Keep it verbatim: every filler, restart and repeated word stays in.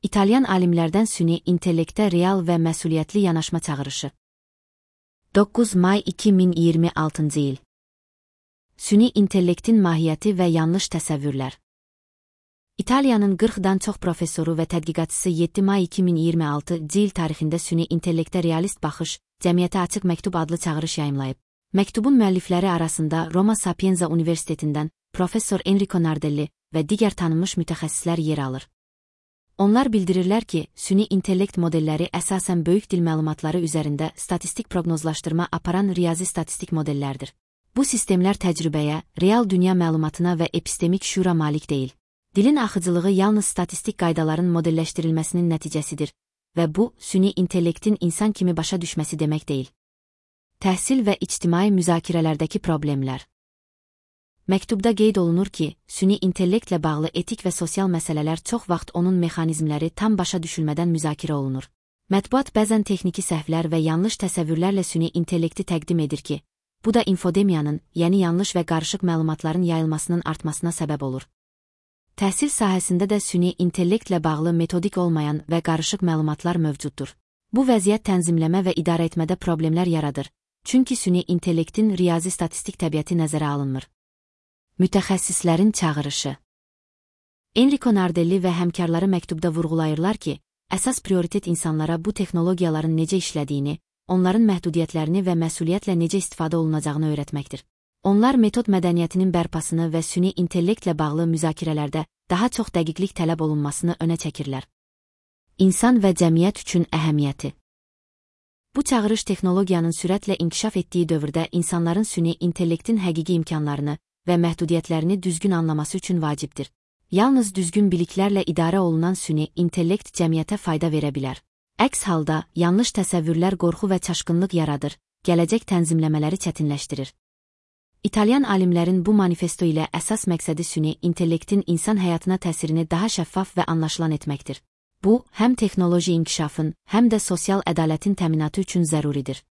İtalyan alimlərdən süni intellektə real və məsuliyyətli yanaşma çağırışı. doqquz may iki min iyirmi altıncı il. Süni intellektin mahiyyəti və yanlış təsəvvürlər. İtaliyanın qırxdan çox professoru və tədqiqatçısı yeddi may iki min iyirmi altıncı il tarixində süni intellektə realist baxış, cəmiyyətə açıq məktub adlı çağırış yayımlayıb. Məktubun müəllifləri arasında Roma Sapienza Universitetindən professor Enrico Nardelli və digər tanınmış mütəxəssislər yer alır. Onlar bildirirlər ki, süni intellekt modelləri əsasən böyük dil məlumatları üzərində statistik proqnozlaşdırma aparan riyazi statistik modellərdir. Bu sistemlər təcrübəyə, real dünya məlumatına və epistemik şüura malik deyil. Dilin axıcılığı yalnız statistik qaydaların modelləşdirilməsinin nəticəsidir və bu, süni intellektin insan kimi başa düşməsi demək deyil. Təhsil və ictimai müzakirələrdəki problemlər. Məktubda qeyd olunur ki, süni intellektlə bağlı etik və sosial məsələlər çox vaxt onun mexanizmləri tam başa düşülmədən müzakirə olunur. Mətbuat bəzən texniki səhvlər və yanlış təsəvvürlərlə süni intellekti təqdim edir ki, bu da infodemiyanın, yəni yanlış və qarışıq məlumatların yayılmasının artmasına səbəb olur. Təhsil sahəsində də süni intellektlə bağlı metodik olmayan və qarışıq məlumatlar mövcuddur. Bu vəziyyət tənzimləmə və idarə etmədə problemlər yaradır, çünki süni intellektin riyazi statistik təbiəti nəzərə alınmır. Mütəxəssislərin çağırışı. Enrico Nardelli və həmkarları məktubda vurğulayırlar ki, əsas prioritet insanlara bu texnologiyaların necə işlədiyini, onların məhdudiyyətlərini və məsuliyyətlə necə istifadə olunacağını öyrətməkdir. Onlar metod mədəniyyətinin bərpasını və süni intellektlə bağlı müzakirələrdə daha çox dəqiqlik tələb olunmasını önə çəkirlər. İnsan və cəmiyyət üçün əhəmiyyəti. Bu çağırış texnologiyanın sürətlə inkişaf etdiyi dövrdə insanların süni intellektin həqiqi imkanlarını və məhdudiyyətlərini düzgün anlaması üçün vacibdir. Yalnız düzgün biliklərlə idarə olunan süni intellekt cəmiyyətə fayda verə bilər. Əks halda, yanlış təsəvvürlər qorxu və çaşqınlıq yaradır, gələcək tənzimləmələri çətinləşdirir. İtalyan alimlərin bu manifesto ilə əsas məqsədi süni intellektin insan həyatına təsirini daha şəffaf və anlaşılan etməkdir. Bu, həm texnoloji inkişafın, həm də sosial ədalətin təminatı üçün zəruridir.